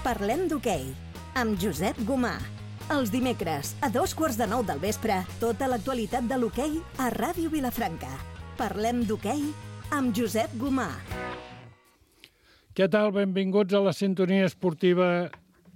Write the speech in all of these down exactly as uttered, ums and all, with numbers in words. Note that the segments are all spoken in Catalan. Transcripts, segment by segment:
Parlem d'hoquei, amb Josep Gomà. Els dimecres, a dos quarts de nou del vespre, tota l'actualitat de l'hoquei a Ràdio Vilafranca. Parlem d'hoquei amb Josep Gomà. Què tal? Benvinguts a la sintonia esportiva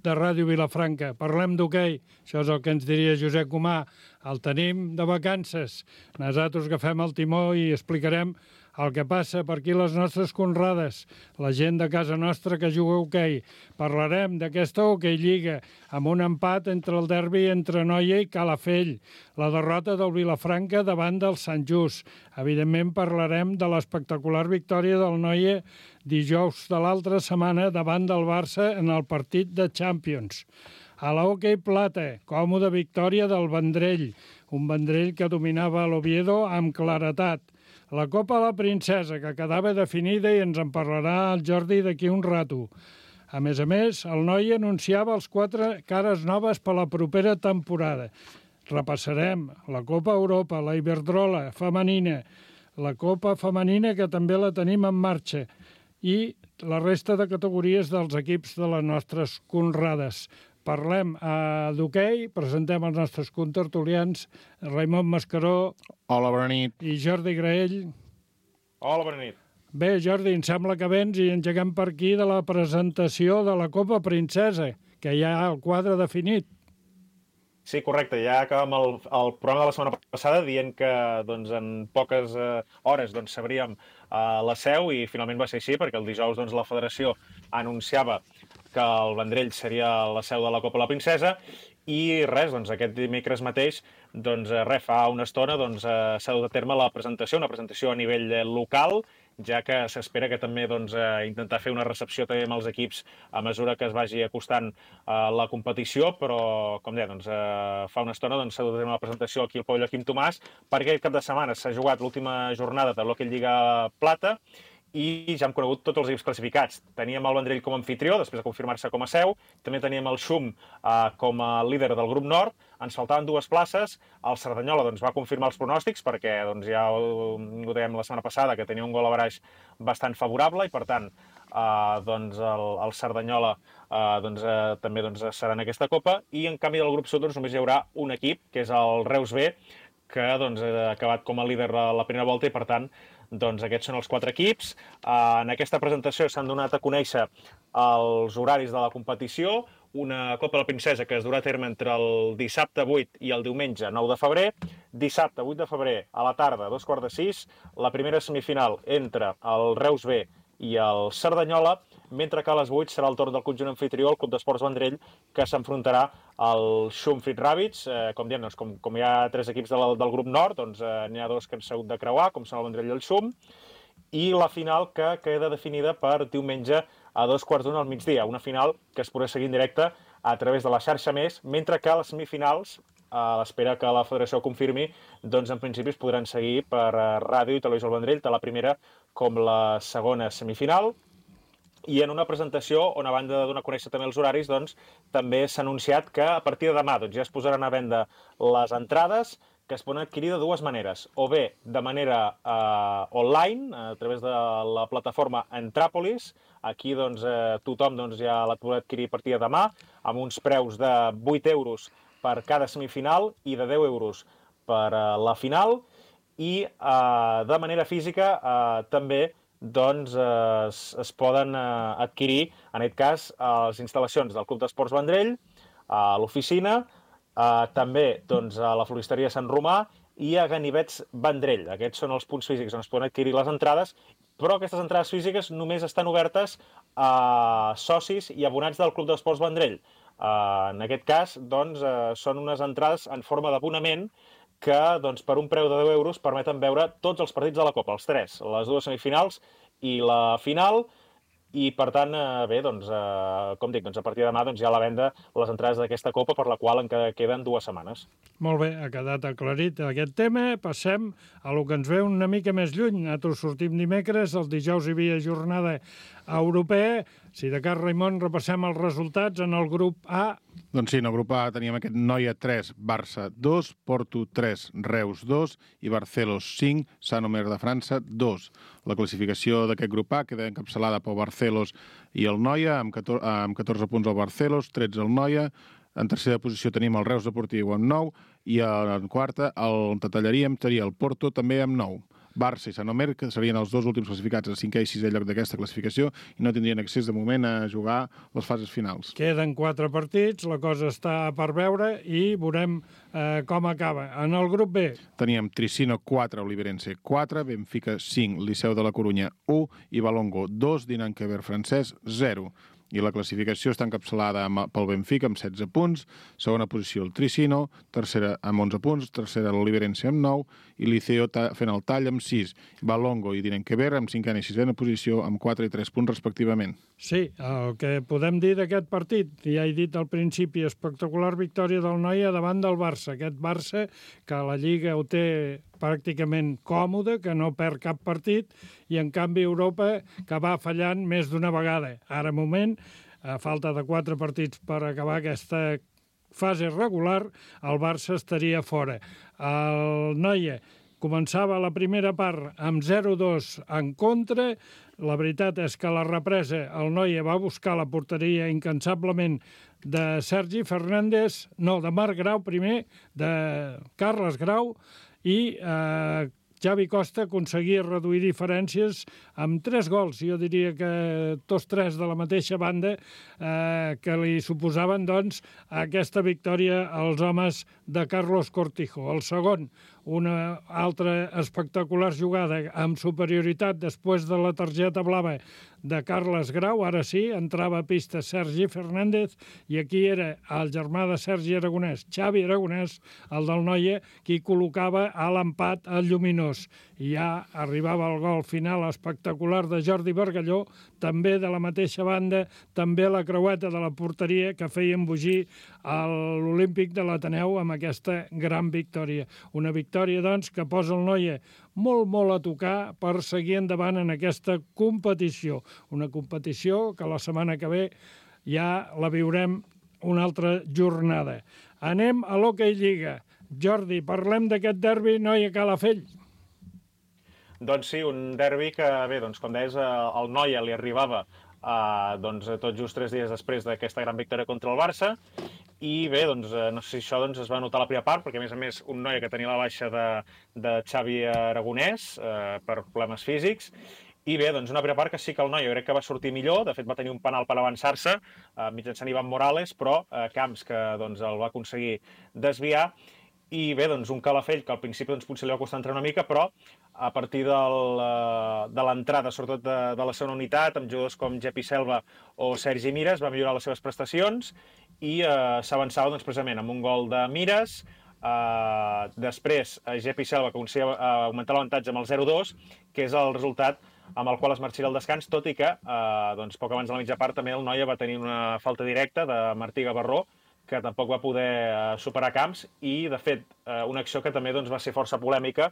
de Ràdio Vilafranca. Parlem d'hoquei, això és el que ens diria Josep Gomà. El tenim de vacances. Nosaltres agafem el timó i explicarem el que passa per aquí les nostres conrades, la gent de casa nostra que juga a hoquei. Parlarem d'aquesta hoquei lliga, amb un empat entre el derbi entre Noia i Calafell, la derrota del Vilafranca davant del Sant Just. Evidentment parlarem de l'espectacular victòria del Noia dijous de l'altra setmana davant del Barça en el partit de Champions. A la hoquei plata, còmoda victòria del Vendrell, un Vendrell que dominava l'Oviedo amb claretat. La Copa de la Princesa, que quedava definida i ens en parlarà el Jordi d'aquí un rato. A més a més, el Noi anunciava els quatre cares noves per la propera temporada. Repassarem la Copa Europa, la Iberdrola femenina, la Copa femenina, que també la tenim en marxa, i la resta de categories dels equips de les nostres conrades. Parlem eh, d'hoquei, presentem els nostres contertulians, Raimon Mascaró. Hola, bona nit. I Jordi Graell. Hola, bona nit. Bé, Jordi, em sembla que vens i engeguem per aquí de la presentació de la Copa Princesa, que ja hi ha el quadre definit. Sí, correcte. Ja acabem el, el programa de la setmana passada dient que doncs, en poques eh, hores doncs, sabríem eh, la seu i finalment va ser així, perquè el dijous doncs, la federació anunciava que el Vendrell seria la seu de la Copa de la Princesa i res, doncs aquest dimecres mateix, doncs res, fa una estona doncs, s'ha dut a terme la presentació, una presentació a nivell local, ja que s'espera que també doncs, intentar fer una recepció també amb els equips a mesura que es vagi acostant a la competició, però, com deia, doncs, fa una estona doncs, s'ha dut a terme la presentació aquí al pavelló Quim Tomàs, perquè aquest cap de setmana s'ha jugat l'última jornada de l'Hockey Lliga Plata, i ja hem conegut tots els equips classificats. Teníem el Vendrell com a anfitrió, després de confirmar-se com a seu, també teníem el Xum eh, com a líder del grup nord, ens faltaven dues places, el Cerdanyola doncs, va confirmar els pronòstics, perquè doncs, ja ho, ho dèiem la setmana passada, que tenia un gol a baraix bastant favorable, i per tant eh, doncs, el, el Cerdanyola eh, doncs, eh, també doncs, serà en aquesta Copa, i en canvi del grup sud doncs, només hi haurà un equip, que és el Reus B, que doncs, ha acabat com a líder a la primera volta i, per tant, doncs, aquests són els quatre equips. Uh, en aquesta presentació s'han donat a conèixer els horaris de la competició, una Copa de la Princesa que es durà a terme entre el dissabte vuit i el diumenge nou de febrer. Dissabte vuit de febrer a la tarda, a dos quarts de sis, la primera semifinal entre el Reus B i el Cerdanyola, mentre que a les vuit serà el torn del conjunt anfitrió, el Club d'Esports Vendrell, que s'enfrontarà al Xum Fit Rabbits. Eh, com diem, doncs, com, com hi ha tres equips del, del grup nord, doncs eh, n'hi ha dos que han hagut de creuar, com són el Vendrell i el Xum, i la final que queda definida per diumenge a dos quarts d'una al migdia, una final que es podrà seguir en directe a través de la xarxa Més, mentre que les semifinals, a l'espera que la federació confirmi, doncs en principi es podran seguir per Ràdio i Televisió del Vendrell, tant la primera com la segona semifinal. I en una presentació on, a banda de donar a conèixer també els horaris, doncs, també s'ha anunciat que a partir de demà doncs, ja es posaran a venda les entrades, que es poden adquirir de dues maneres, o bé de manera eh, online, a través de la plataforma Entràpolis. Aquí doncs, eh, tothom doncs, ja la podrà adquirir a partir de demà, amb uns preus de vuit euros per cada semifinal i de deu euros per uh, la final, i uh, de manera física uh, també doncs, uh, es, es poden uh, adquirir, en aquest cas, a les instal·lacions del Club d'Esports Vendrell, a l'oficina, uh, també doncs, a la floristeria Sant Romà i a Ganivets Vendrell. Aquests són els punts físics on es poden adquirir les entrades, però aquestes entrades físiques només estan obertes a socis i abonats del Club d'Esports Vendrell. Uh, en aquest cas, doncs, uh, són unes entrades en forma d'abonament que, doncs, per un preu de deu euros permeten veure tots els partits de la Copa, els tres, les dues semifinals i la final, i per tant, eh, bé, doncs, eh, com dic, doncs, a partir de demà doncs, hi ha a la venda les entrades d'aquesta Copa, per la qual encara queden dues setmanes. Molt bé, ha quedat aclarit aquest tema. Passem a lo que ens ve una mica més lluny. Nosaltres sortim dimecres, el dijous hi havia jornada europea. Si de cas, Raimon, repassem els resultats en el grup A. Doncs sí, en el grup A teníem aquest Noia tres, Barça dos, Porto tres, Reus dos i Barcelos cinc, Saint-Omer de França dos. La classificació d'aquest grup A queda encapçalada pel Barcelos i el Noia, amb catorze punts el Barcelos, tretze el Noia. En tercera posició tenim el Reus Deportiu amb nou i en quarta el Tatallaríem seria el Porto també amb nou. Barça i Saint-Omer, que serien els dos últims classificats a cinquè i sisè lloc d'aquesta classificació, i no tindrien accés de moment a jugar les fases finals. Queden quatre partits, la cosa està per veure i veurem eh, com acaba. En el grup B teníem Tricino quatre, Oliverense quatre, Benfica cinc, Liceu de la Corunya u i Balongo dos, Dinant Queber francès zero. I la classificació està encapçalada pel Benfica amb setze punts, segona posició el Tricino, tercera amb onze punts, tercera l'Oliverense amb nou i Liceo fent el tall amb sis. Balongo i Dinenkever amb cinquena i sisena posició amb quatre i tres punts respectivament. Sí, el que podem dir d'aquest partit, ja he dit al principi, espectacular victòria del Noia davant del Barça. Aquest Barça que la Lliga ho té pràcticament còmode, que no perd cap partit, i en canvi Europa que va fallant més d'una vegada. Ara, moment, a falta de quatre partits per acabar aquesta fase regular, el Barça estaria fora. El Noia començava la primera part amb zero dos en contra. La veritat és que a la represa el Noia va buscar la porteria incansablement de Sergi Fernández, no, de Marc Grau primer, de Carles Grau, i eh, Xavi Costa aconseguia reduir diferències amb tres gols. Jo diria que tots tres de la mateixa banda eh, que li suposaven doncs, aquesta victòria als homes de Carlos Cortijo. El segon, una altra espectacular jugada amb superioritat després de la targeta blava de Carles Grau. Ara sí, entrava a pista Sergi Fernández i aquí era el germà de Sergi Aragonès, Xavi Aragonès, el del Noia, qui col·locava a l'empat al Lluminós. I ja arribava el gol final espectacular de Jordi Bargalló, també de la mateixa banda, també la creueta de la porteria que feia embogir l'Olímpic de l'Ateneu amb aquesta gran victòria. Una victòria, doncs, que posa el Noia molt, molt a tocar per seguir endavant en aquesta competició. Una competició que la setmana que ve ja la viurem una altra jornada. Anem a l'Hockey Lliga. Jordi, parlem d'aquest derbi Noia-Calafell. Doncs sí, un derbi que, bé, doncs, com deies, el Noia li arribava eh, doncs, tot just tres dies després d'aquesta gran victòria contra el Barça, i bé, doncs, no sé si això doncs, es va notar a la primera part, perquè a més a més un Noia que tenia la baixa de, de Xavi Aragonès eh, per problemes físics, i bé, doncs una primera part que sí que el Noia jo crec que va sortir millor, de fet va tenir un penal per avançar-se eh, mitjançant Ivan Morales, però eh, Camps que doncs, el va aconseguir desviar. I bé, doncs un Calafell que al principi doncs, potser li va costar entrar una mica, però a partir del, de l'entrada, sobretot de, de la segona unitat, amb jugadors com Jepi Selva o Sergi Mires, va millorar les seves prestacions i eh, s'avançava doncs, precisament amb un gol de Mires. Eh, després, Jepi Selva que aconseguia eh, augmentar l'avantatge amb el zero dos, que és el resultat amb el qual es marxaria al descans, tot i que eh, doncs, poc abans de la mitja part també el Noia va tenir una falta directa de Martí Gavarró, que tampoc va poder superar Camps, i, de fet, una acció que també doncs, va ser força polèmica,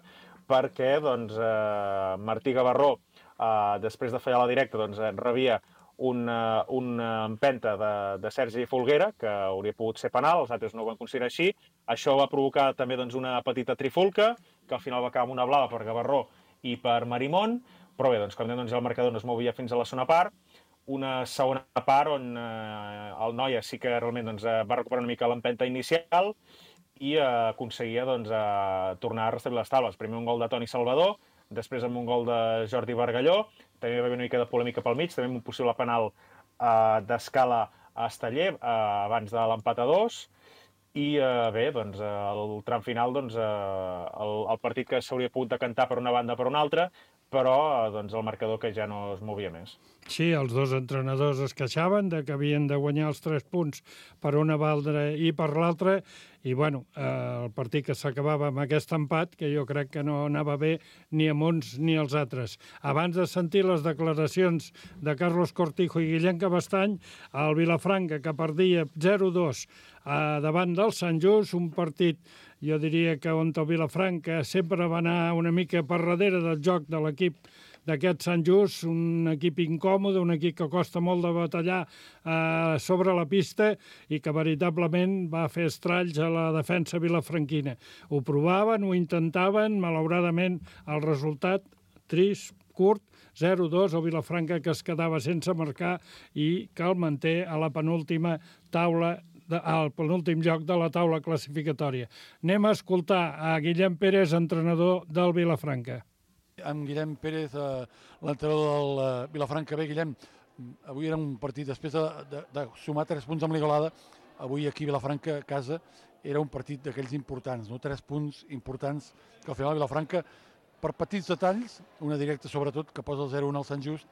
perquè doncs, eh, Martí Gavarró, eh, després de fallar la directa, doncs, rebia una, una empenta de, de Sergi Folguera, que hauria pogut ser penal, els altres no ho van considerar així. Això va provocar també doncs, una petita trifulca, que al final va acabar amb una blava per Gavarró i per Marimón, però bé, doncs, com dèiem, doncs, el marcador no es movia fins a la segona part. Una segona part on eh, el Noia sí que realment doncs, va recuperar una mica l'empenta inicial i eh, aconseguia doncs, eh, tornar a restablir les taules. Primer un gol de Toni Salvador, després amb un gol de Jordi Bargalló, també va haver una mica de polèmica pel mig, també amb un possible penal eh, d'Escala a Esteller eh, abans de l'empat a dos. I eh, bé, doncs, el tram final, doncs, eh, el, el partit que s'hauria pogut decantar per una banda o per una altra, però doncs, el marcador que ja no es movia més. Sí, els dos entrenadors es queixaven de que havien de guanyar els tres punts per una banda i per l'altra, i bueno, eh, el partit que s'acabava amb aquest empat, que jo crec que no anava bé ni amb uns ni els altres. Abans de sentir les declaracions de Carlos Cortijo i Guillem Cabestany, el Vilafranca, que perdia zero dos eh, davant del Sant Just, un partit, jo diria que on el Vilafranca sempre va anar una mica per darrere del joc de l'equip d'aquest Sant Just, un equip incòmode, un equip que costa molt de batallar eh, sobre la pista i que veritablement va fer estralls a la defensa vilafranquina. Ho provaven, ho intentaven, malauradament el resultat trist, curt, zero dos, o Vilafranca que es quedava sense marcar i que el manté a la penúltima taula, de, al penúltim lloc de la taula classificatòria. Anem a escoltar a Guillem Pérez, entrenador del Vilafranca. Amb Guillem Pérez, eh, l'entrenador del eh, Vilafranca. Bé, Guillem, avui era un partit, després de, de, de sumar tres punts amb l'Igualada, avui aquí a Vilafranca, a casa, era un partit d'aquells importants, no? Tres punts importants que al final Vilafranca, per petits detalls, una directa sobretot, que posa el zero un al Sant Just,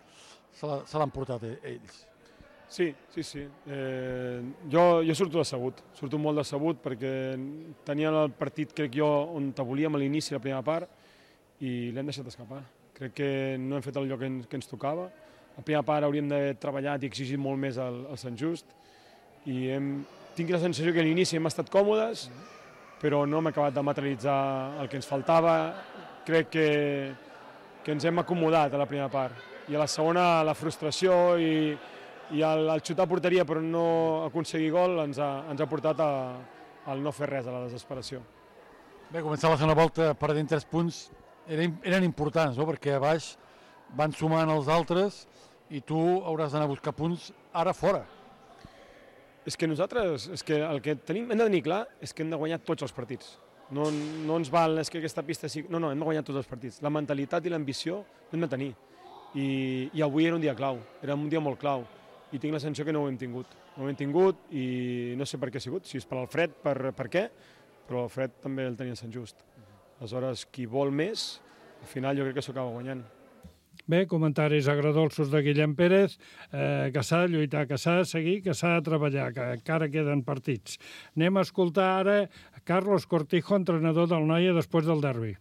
se l'han portat ells. Sí, sí, sí. Eh, jo, jo surto decebut, surto molt decebut perquè tenien el partit, crec jo, on te volíem a l'inici, la primera part, i l'hem deixat escapar. Crec que no hem fet el lloc que ens, que ens tocava. A la primera part hauríem d'haver treballat i exigit molt més al, al Sant Just, i hem, tinc la sensació que a l'inici hem estat còmodes, però no hem acabat de materialitzar el que ens faltava. Crec que, que ens hem acomodat a la primera part. I a la segona, la frustració i, i el, el xutar a porteria però no aconseguir gol ens ha, ens ha portat a, al no fer res, a la desesperació. Bé, començar la segona volta perdent tres punts eren, eren importants, no? Perquè a baix van sumant els altres i tu hauràs d'anar a buscar punts ara fora. És que nosaltres, és que el que tenim, hem de tenir clar és que hem de guanyar tots els partits. No, no ens val, és que aquesta pista sí... No, no, hem de guanyar tots els partits. La mentalitat i l'ambició hem de tenir. I, I avui era un dia clau, era un dia molt clau. I tinc la sensació que no ho hem tingut. No ho hem tingut i no sé per què ha sigut, si és per al fred, per, per què, però el fred també el tenia Sant Just. Aleshores, qui vol més, al final jo crec que s'ho acaba guanyant. Bé, comentaris agradolços de Guillem Pérez, eh, que s'ha de lluitar, que s'ha de seguir, que s'ha de treballar, que encara queden partits. Anem a escoltar ara Carlos Cortijo, entrenador del Noia, després del derbi.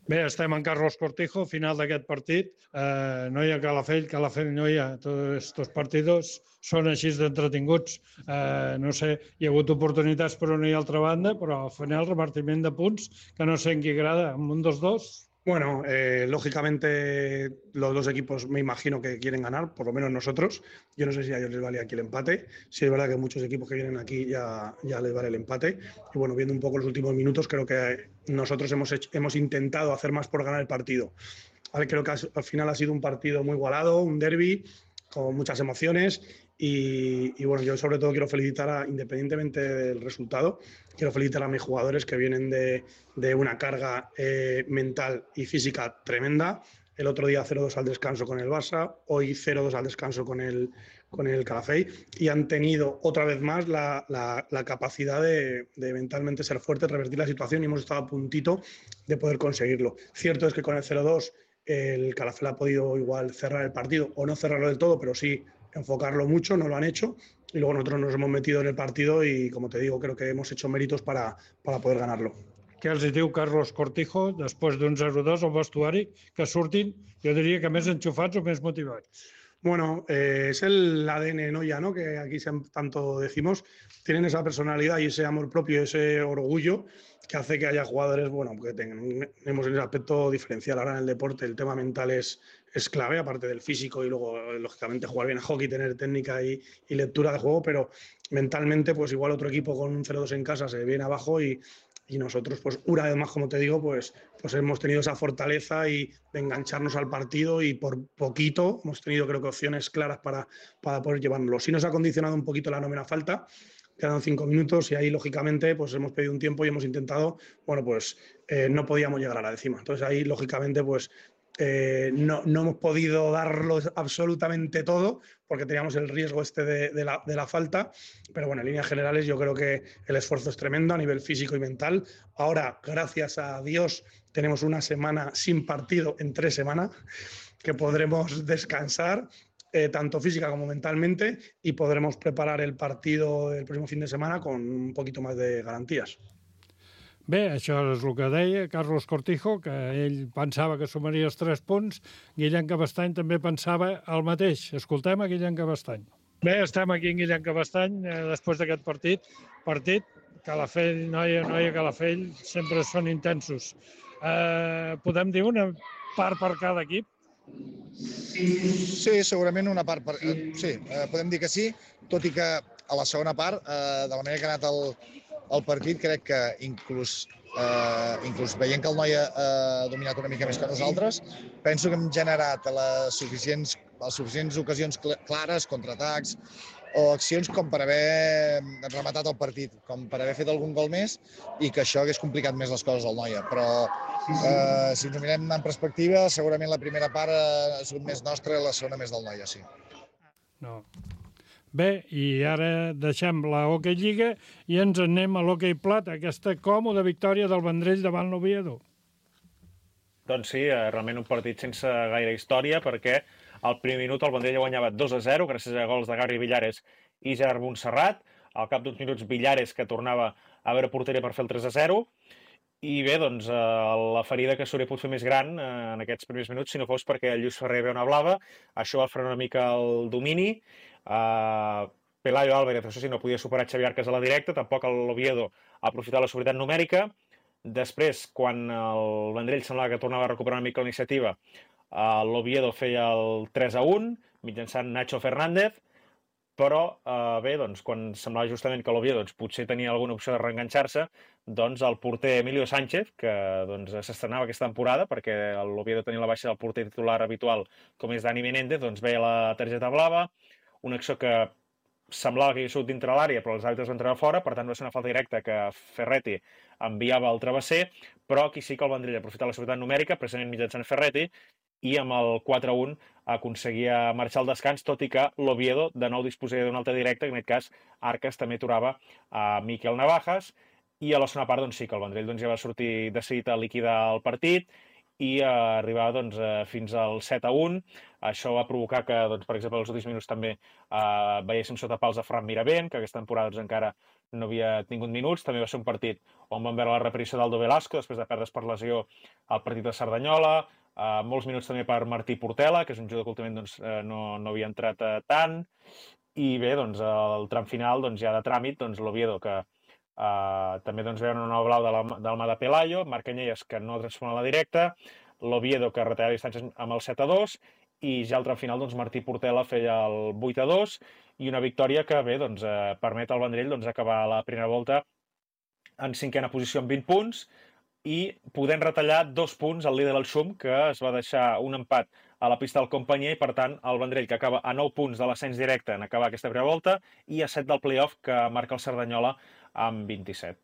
Bé, estem en Carlos Cortijo, final d'aquest partit. Eh, Noia Calafell, Calafell Noia, tots estos partidos són així d'entretinguts. Eh, no sé, hi ha hagut oportunitats per una i altra banda, però al final repartiment de punts que no sé en qui agrada, amb un dels dos. Bueno, eh, lógicamente los dos equipos me imagino que quieren ganar, por lo menos nosotros. Yo no sé si a ellos les vale aquí el empate. Sí es verdad que muchos equipos que vienen aquí ya, ya les vale el empate. Y bueno, viendo un poco los últimos minutos, creo que nosotros hemos, hecho, hemos intentado hacer más por ganar el partido. Vale, creo que al final ha sido un partido muy igualado, un derbi con muchas emociones. Y, y bueno, yo sobre todo quiero felicitar, a, independientemente del resultado, quiero felicitar a mis jugadores que vienen de, de una carga eh, mental y física tremenda. El otro día cero dos al descanso con el Barça, hoy cero dos al descanso con el, con el Calafell, y han tenido otra vez más la, la, la capacidad de, de mentalmente ser fuertes, revertir la situación, y hemos estado a puntito de poder conseguirlo. Cierto es que con el cero dos el Calafell ha podido igual cerrar el partido, o no cerrarlo del todo, pero sí enfocarlo mucho, no lo han hecho, y luego nosotros nos hemos metido en el partido y, como te digo, creo que hemos hecho méritos para, para poder ganarlo. Què els diu Carlos Cortijo després d'un zero dos al vestuari, que surtin, jo diria que més enxufats o més motivats? Bueno, eh, es el A D N Noia, ¿no? Que aquí tanto decimos, tienen esa personalidad y ese amor propio, ese orgullo que hace que haya jugadores, bueno, que tenemos ese aspecto diferencial. Ahora en el deporte el tema mental es, es clave, aparte del físico, y luego, lógicamente, jugar bien a hockey, tener técnica y, y lectura de juego, pero mentalmente, pues igual otro equipo con un cero dos en casa se viene abajo y, y nosotros, pues una vez más, como te digo, pues, pues hemos tenido esa fortaleza y de engancharnos al partido, y por poquito hemos tenido, creo que, opciones claras para, para poder llevárnoslo. Sí nos ha condicionado un poquito la novena falta, quedan cinco minutos y ahí, lógicamente, pues hemos pedido un tiempo y hemos intentado, bueno, pues eh, no podíamos llegar a la décima. Entonces ahí, lógicamente, pues eh, no, no hemos podido darlo absolutamente todo porque teníamos el riesgo este de, de, la, de la falta, pero bueno, en líneas generales yo creo que el esfuerzo es tremendo a nivel físico y mental. Ahora, gracias a Dios, tenemos una semana sin partido en tres semanas, que podremos descansar, Eh, tanto física como mentalmente, y podremos preparar el partido del próximo fin de semana con un poquito más de garantías. Bé, això és el que deia Carlos Cortijo, que ell pensava que sumaria els tres punts. Guillem Cabestany també pensava el mateix. Escoltem a Guillem Cabestany. Bé, estem aquí en Guillem Cabestany, eh, després d'aquest partit. Partit, Calafell, Noia, Noia, Calafell, sempre són intensos. Eh, podem dir una part per cada equip? Sí, segurament una part... Per... Sí, eh, podem dir que sí, tot i que a la segona part, eh, de la manera que ha anat el, el partit, crec que inclús, eh, inclús veient que el Noia ha dominat una mica més que nosaltres, penso que hem generat les suficients, les suficients ocasions clares, contraatacs, o accions com per haver rematat el partit, com per haver fet algun gol més i que això hagués complicat més les coses al Noia. Però eh, si ens ho mirem en perspectiva, segurament la primera part ha sigut més nostra i la segona més del Noia, sí. No. Bé, i ara deixem la Hockey Lliga i ens anem a l'Hockey Plata, aquesta còmoda victòria del Vendrell davant l'Oviedo. Doncs sí, realment un partit sense gaire història, perquè al primer minut el Vendrell guanyava dos a zero gràcies a gols de Gabri Villares i Gerard Montserrat. Al cap d'uns minuts Villares, que tornava a veure porteria per fer el tres a zero. I bé, doncs, la ferida que s'hauria pogut fer més gran en aquests primers minuts, si no fos perquè el Lluís Ferrer ve una blava. Això va frenar una mica el domini. Uh, Pelayo Álvarez, això sí, no podia superar Xavi Arcas a la directa, tampoc l'Oviedo ha aprofitat la superioritat numèrica. Després, quan el Vendrell semblava que tornava a recuperar una mica la iniciativa, uh, l'Oviedo feia el tres a un, mitjançant Nacho Fernández, però uh, bé, doncs, quan semblava justament que l'Oviedo doncs, potser tenia alguna opció de reenganxar-se, doncs el porter Emilio Sánchez, que doncs, s'estrenava aquesta temporada, perquè l'Oviedo tenia la baixa del porter titular habitual, com és Dani Menéndez, doncs veia la targeta blava, una acció que semblava que hi havia sigut dintre l'àrea, però els àrbitres van treure fora, per tant va ser una falta directa que Ferretti enviava al travesser, però aquí sí que el Vendrell aprofitar la seguretat numèrica, precisament mitjançant Ferretti, i amb el quatre a un aconseguia marxar al descans, tot i que l'Oviedo de nou disposaria d'un altre directe, en aquest cas Arcas també aturava a Miquel Navajas, i a la segona part doncs, sí que el Vendrell doncs, ja va sortir decidit a liquidar el partit, i eh, arribar doncs, eh, fins al set a un. Això va provocar que, doncs, per exemple, els últims minuts també eh, veiéssim sota pals a Fran Miravent, que aquesta temporada doncs, encara no havia tingut minuts. També va ser un partit on vam veure la repetició d'Aldo Velasco, després de perdre's per lesió al partit de Cerdanyola. Eh, molts minuts també per Martí Portela, que és un jugador que últimament doncs, eh, no, no havia entrat eh, tant. I bé, doncs, el tram final doncs, ja de tràmit, doncs, l'Oviedo, que Uh, també doncs, veuen una nova blau de la, del mà de Pelayo, Marc Canyelles, que no transforma la directa, l'Oviedo, que retallava distàncies amb el set a dos, i ja al tram final doncs, Martí Portela feia el vuit a dos, i una victòria que bé, doncs, uh, permet al Vendrell doncs, acabar la primera volta en cinquena posició amb vint punts, i podent retallar dos punts al líder del Xum, que es va deixar un empat a la pista del Companyia, i per tant el Vendrell, que acaba a nou punts de l'ascens directe en acabar aquesta primera volta, i a set del play-off, que marca el Cerdanyola amb vint-i-set.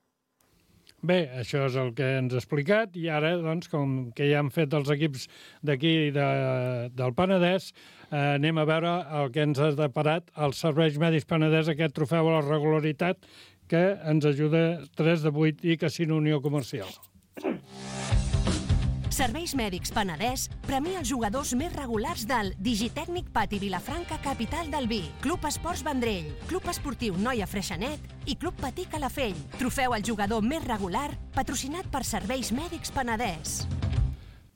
Bé, això és el que ens ha explicat, i ara, doncs, com que ja han fet els equips d'aquí de, del Penedès, eh, anem a veure el que ens ha deparat els Serveis Mèdics Penedès, aquest trofeu a la regularitat que ens ajuda tres de vuit i Casino Unió Comercial. Serveis Mèdics Penedès premia els jugadors més regulars del Digitècnic Pati Vilafranca, capital del vi, Club Esports Vendrell, Club Esportiu Noia Freixenet i Club Patí Calafell. Trofeu al jugador més regular, patrocinat per Serveis Mèdics Penedès.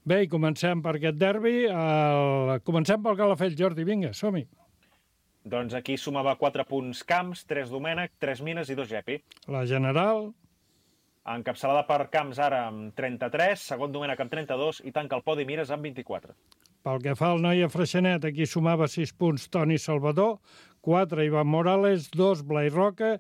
Bé, i comencem per aquest derbi. El... Comencem pel Calafell, Jordi, vinga, som-hi. Doncs aquí sumava quatre punts Camps, tres Domènech, tres Mines i dos Gepi. La general... Encapçalada per Camps ara amb trenta-tres, segon Domènech amb trenta-dos i tanca el podi Mires amb vint-i-quatre. Pel que fa al Noia Freixenet, aquí sumava sis punts Toni Salvador, quatre Ivan Morales, dos Blai Roca,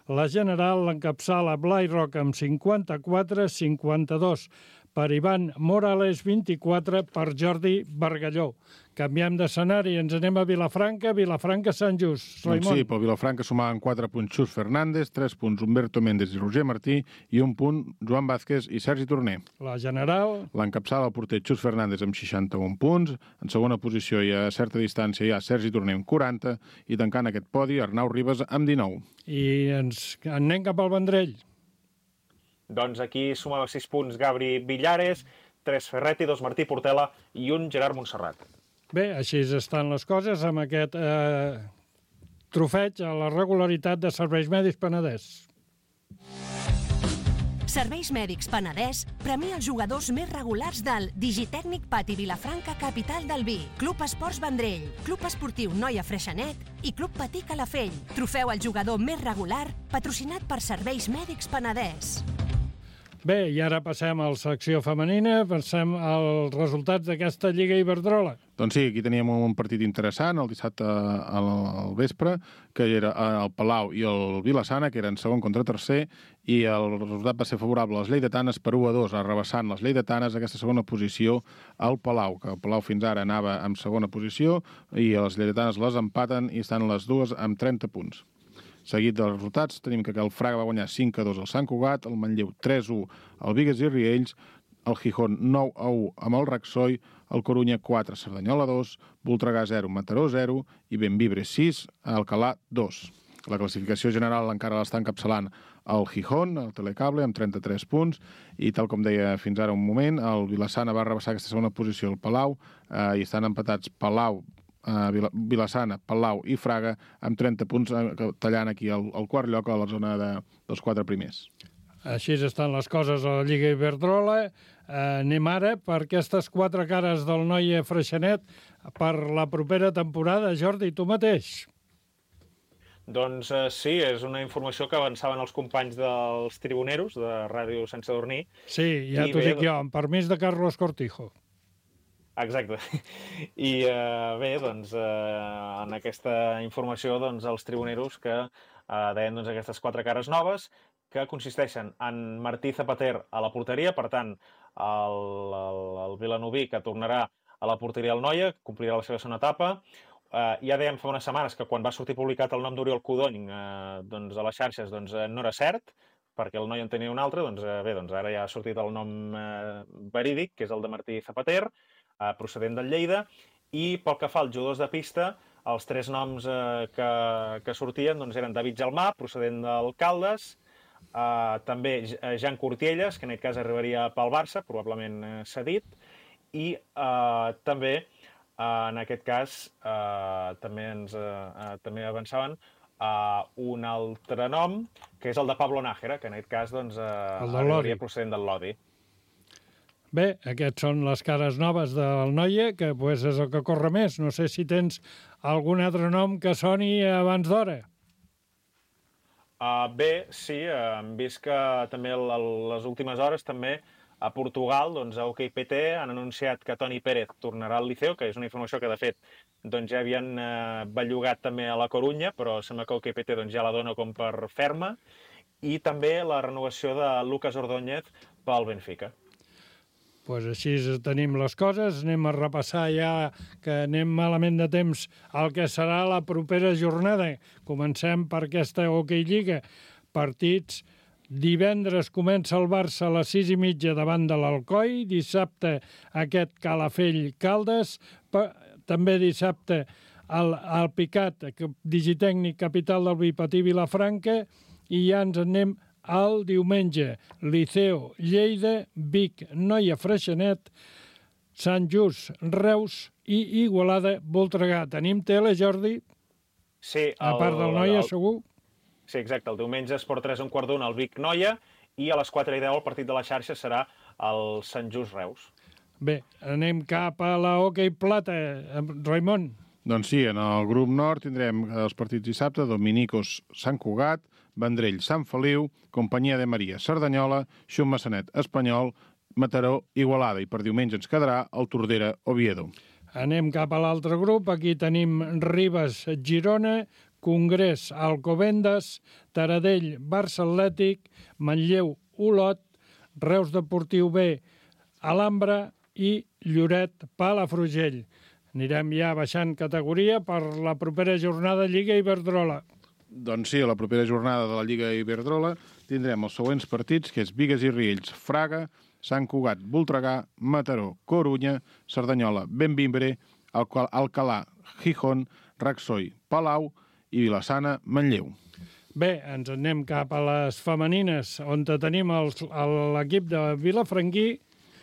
la general l'encapçala Blai Roca amb cinquanta-quatre, cinquanta-dos per Ivan Morales, vint-i-quatre per Jordi Bargalló. Canviem d'escenari, ens anem a Vilafranca, Vilafranca-Sant Just. Doncs sí, pel Vilafranca sumaven quatre punts Xus Fernández, tres punts Humberto Méndez i Roger Martí i un punt Joan Vázquez i Sergi Torner. La general... L'encapçala el porter Xus Fernández amb seixanta-un punts, en segona posició i a certa distància hi ha Sergi Torner amb quaranta i tancant aquest podi Arnau Ribas amb dinou. I ens anem cap al Vendrell. Doncs aquí sumava sis punts Gabri Villares, tres Ferretti, dos Martí Portela i un Gerard Montserrat. Bé, així estan les coses amb aquest eh, trofeig a la regularitat de Serveis Mèdics Penedès. Serveis Mèdics Penedès premia els jugadors més regulars del Digitècnic Pati Vilafranca, capital del vi, Club Esports Vendrell, Club Esportiu Noia Freixenet i Club Patí Calafell. Trofeu al jugador més regular, patrocinat per Serveis Mèdics Penedès. Bé, i ara passem a la secció femenina, passem als resultats d'aquesta Lliga Iberdrola. Doncs sí, aquí teníem un partit interessant el dissabte al vespre, que era el Palau i el Vila-sana, que eren segon contra tercer, i el resultat va ser favorable a les lleidatanes per u a dos, arrabassant les lleidatanes a aquesta segona posició al Palau, que el Palau fins ara anava en segona posició, i les lleidatanes les empaten i estan les dues amb trenta punts. Seguit dels resultats, tenim que el Fraga va guanyar cinc a dos al Sant Cugat, el Manlleu tres a u al Bigues i Riells, el Gijón nou a u amb el Raxoi, el Corunya quatre, Cerdanyola dos, Voltregà zero, Mataró zero i Bembibre sis, Alcalà dos. La classificació general encara l'està encapçalant el Gijón, el Telecable, amb trenta-tres punts, i tal com deia fins ara un moment, el Vila-sana va rebassar aquesta segona posició al Palau, eh, i estan empatats Palau, eh, Vila-sana, Palau i Fraga, amb trenta punts, eh, tallant aquí el, el quart lloc a la zona de, dels quatre primers. Així estan les coses a la Lliga Iberdrola. Eh, anem ara per aquestes quatre cares del Noia Freixenet per la propera temporada. Jordi, tu mateix. Doncs eh, sí, és una informació que avançaven els companys dels tribuneros de Ràdio Sense Dormir. Sí, ja t'ho dic jo, amb permís de Carlos Cortijo. Exacte. I eh, bé, doncs, eh, en aquesta informació, doncs, els tribuneros que eh, deien doncs, aquestes quatre cares noves, que consisteixen en Martí Zapater a la porteria, per tant, el, el, el Vilanoví, que tornarà a la porteria al Noia, complirà la seva segona etapa. Eh, ja dèiem fa unes setmanes que quan va sortir publicat el nom d'Oriol Codony eh, doncs, a les xarxes doncs, eh, no era cert, perquè el Noia en tenia un altre, doncs eh, bé, doncs ara ja ha sortit el nom eh, verídic, que és el de Martí Zapater, eh, procedent del Lleida, i pel que fa als jugadors de pista, els tres noms eh, que, que sortien doncs, eren David Gelmà, procedent del Caldes, Uh, també Jan Cortielles, que en aquest cas arribaria pel Barça, probablement uh, cedit, i uh, també, uh, en aquest cas, uh, també ens uh, uh, també avançaven uh, un altre nom, que és el de Pablo Nájera, que en aquest cas doncs, uh, arribaria procedent del Lodi. Bé, aquests són les cares noves del Noia, que pues, és el que corre més. No sé si tens algun altre nom que soni abans d'hora. Uh, bé, sí, uh, hem vist que també a les últimes hores també a Portugal, doncs a OK P T han anunciat que Toni Pérez tornarà al Liceo, que és una informació que de fet doncs, ja havien uh, bellugat també a la Corunya, però sembla que OK P T doncs, ja la dona com per ferma, i també la renovació de Lucas Ordóñez pel Benfica. Pues així tenim les coses, anem a repassar ja que anem malament de temps el que serà la propera jornada. Comencem per aquesta Hockey Lliga. Partits, divendres comença el Barça a les sis i mitja davant de l'Alcoi, dissabte aquest Calafell-Caldes, també dissabte el, el Picat, Digitècnic Capital del Bipatí Vilafranca, i ja ens anem el diumenge, Liceo, Lleida, Vic, Noia Freixenet, Sant Just, Reus i Igualada, Voltregà. Tenim tele, Jordi? Sí. A part del Noia, segur? Sí, exacte. El diumenge Esport tres un quart d'una al Vic Noia i a les quatre i deu el partit de la xarxa serà el Sant Just Reus. Bé, anem cap a la Hockey Plata. Raimon. Doncs sí, en el grup nord tindrem els partits dissabte, Dominicos, Sant Cugat, Vendrell, Sant Feliu, Companyia de Maria, Cerdanyola, Xum Massanet, Espanyol, Mataró, Igualada, i per diumenge ens quedarà el Tordera, Oviedo. Anem cap a l'altre grup. Aquí tenim Ribes, Girona, Congrés, Alcobendas, Taradell, Barça Atlètic, Manlleu, Olot, Reus Deportiu B, Alhambra i Lloret, Palafrugell. Anirem ja baixant categoria per la propera jornada Lliga Iberdrola. Doncs sí, a la propera jornada de la Lliga Iberdrola tindrem els següents partits, que és Bigues i Riells, Fraga, Sant Cugat, Voltregà, Mataró, Corunya, Cerdanyola, Bembibre, Alcalà, Gijón, Raxoi, Palau i Vila-sana, Manlleu. Bé, ens anem cap a les femenines, on tenim l'equip de Vilafranquí,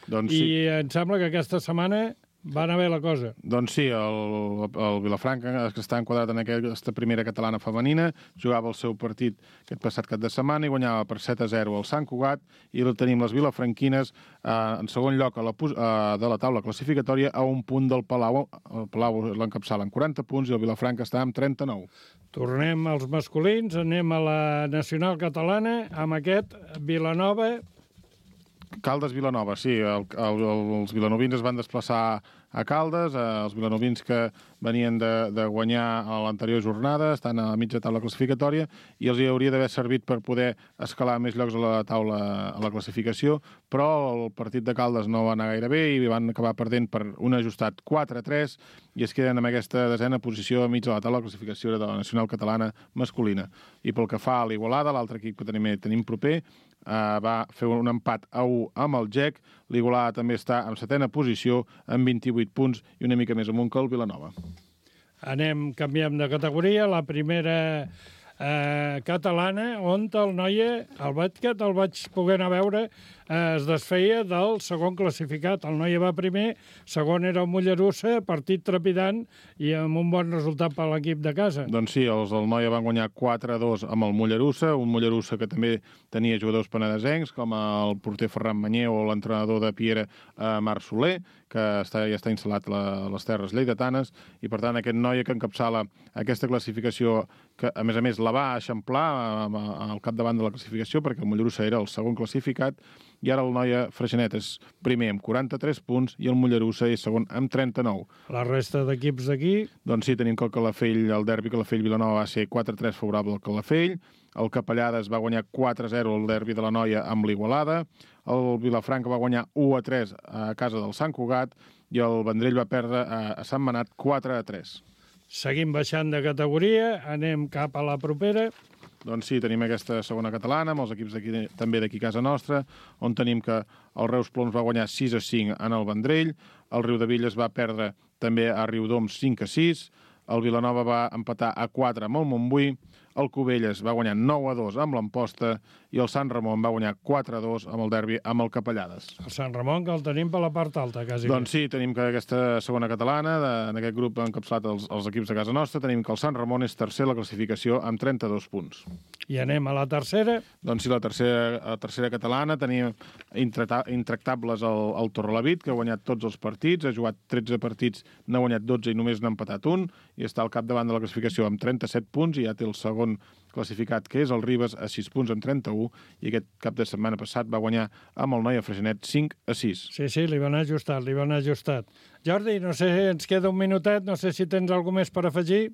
doncs sí. I em sembla que aquesta setmana va anar bé la cosa. Doncs sí, el, el Vilafranca, que està enquadrat en aquesta primera catalana femenina, jugava el seu partit aquest passat cap de setmana i guanyava per set a zero al Sant Cugat, i tenim les vilafranquines eh, en segon lloc a la, eh, de la taula classificatòria a un punt del Palau. El Palau l'encapçala amb quaranta punts i el Vilafranca està amb trenta-nou. Tornem als masculins, anem a la nacional catalana amb aquest Vilanova Caldes-Vilanova, sí. El, el, els vilanovins es van desplaçar a Caldes, eh, els vilanovins que venien de, de guanyar a l'anterior jornada, estan a la mitja taula classificatòria, i els hi hauria d'haver servit per poder escalar més llocs a la taula, a la classificació, però el partit de Caldes no va anar gaire bé i van acabar perdent per un ajustat quatre a tres i es queden en aquesta desena posició a mig de la taula de classificació de la nacional catalana masculina. I pel que fa a l'Igualada, l'altre equip que tenim, tenim proper, Uh, va fer un empat a u amb el G E C. L'Igualada també està en setena posició amb vint-i-vuit punts i una mica més amunt que el Vilanova. Anem, canviem de categoria. La primera eh, catalana, on el Noia, el bàsquet, el vaig poder anar a veure, eh, es desfeia del segon classificat. El Noia va primer, segon era el Mollerussa, partit trepidant i amb un bon resultat per l'equip de casa. Doncs sí, els del Noia van guanyar quatre a dos amb el Mollerussa, un Mollerussa que també tenia jugadors penedesencs, com el porter Ferran Manyer o l'entrenador de Piera, eh, Marc Soler, que està, ja està instal·lat a les terres lleidatanes, i per tant aquest Noia que encapçala aquesta classificació, que a més a més la va eixamplar al capdavant de la classificació, perquè el Mollerussa era el segon classificat, i ara el Noia Freixenet és primer amb quaranta-tres punts i el Mollerussa és segon amb trenta-nou. La resta d'equips d'aquí? Doncs sí, tenim que el Calafell, el derbi Calafell-Vilanova va ser quatre a tres favorable al Calafell, el Capellades va guanyar quatre a zero el derbi de la Noia amb l'Igualada, el Vilafranca va guanyar u a tres a casa del Sant Cugat i el Vendrell va perdre a Sant Manat quatre a tres. Seguim baixant de categoria, anem cap a la propera. Doncs sí, tenim aquesta segona catalana, amb els equips d'aquí, també d'aquí casa nostra, on tenim que el Reus Ploms va guanyar sis a cinc en el Vendrell, el Riudevilles va perdre també a Riudoms cinc a sis, el Vilanova va empatar a quatre amb el Montbui, el Cubelles va guanyar nou a dos amb l'Amposta i el Sant Ramon va guanyar quatre a dos amb el derbi amb el Capellades. El Sant Ramon, que el tenim per la part alta, quasi. Doncs sí, tenim que aquesta segona catalana, de, en aquest grup encapçalat els, els equips de casa nostra, tenim que el Sant Ramon és tercer a la classificació amb trenta-dos punts. I anem a la tercera? Doncs sí, la tercera, la tercera catalana tenim intractables el, el Torrelavit, que ha guanyat tots els partits, ha jugat tretze partits, n'ha guanyat dotze i només n'ha empatat un, i està al capdavant de la classificació amb trenta-set punts, i ja té el segon classificat, que és el Ribes, a sis punts amb trenta-un, i aquest cap de setmana passat va guanyar amb el Noia Freixenet cinc a sis. Sí, sí, li van ajustat, li van ajustat. Jordi, no sé, ens queda un minutet, no sé si tens alguna més per afegir.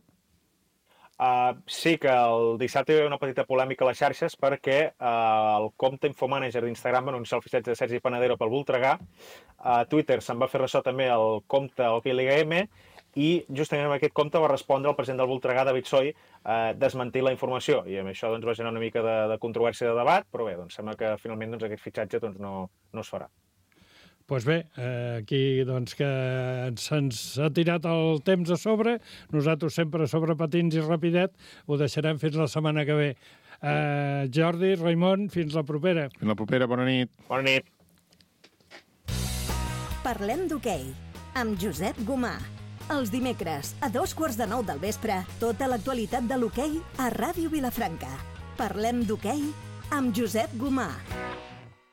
Uh, sí, que el dissabte hi va haver una petita polèmica a les xarxes perquè uh, el compte Infomanager d'Instagram va anunciar el fitxatge de Sergi Panadero pel Voltregà. A uh, Twitter se'n va fer ressò també el compte Hockey Liga M, i justament amb aquest compte va respondre el president del Voltregà, David Soy, eh, desmentir la informació, i amb això doncs, va generar una mica de, de controvèrsia de debat, però bé, doncs, sembla que finalment doncs, aquest fitxatge doncs, no, no es farà. Doncs pues bé, eh, aquí doncs, que se'ns ha tirat el temps a sobre, nosaltres sempre sobre patins i rapidet, ho deixarem fins la setmana que ve. Eh, Jordi, Raimon, fins la propera. Fins la propera, bona nit. Bona nit. Parlem d'hoquei, amb Josep Gomà. Els dimecres, a dos quarts de nou del vespre, tota l'actualitat de l'hoquei a Ràdio Vilafranca. Parlem d'hoquei amb Josep Gomà.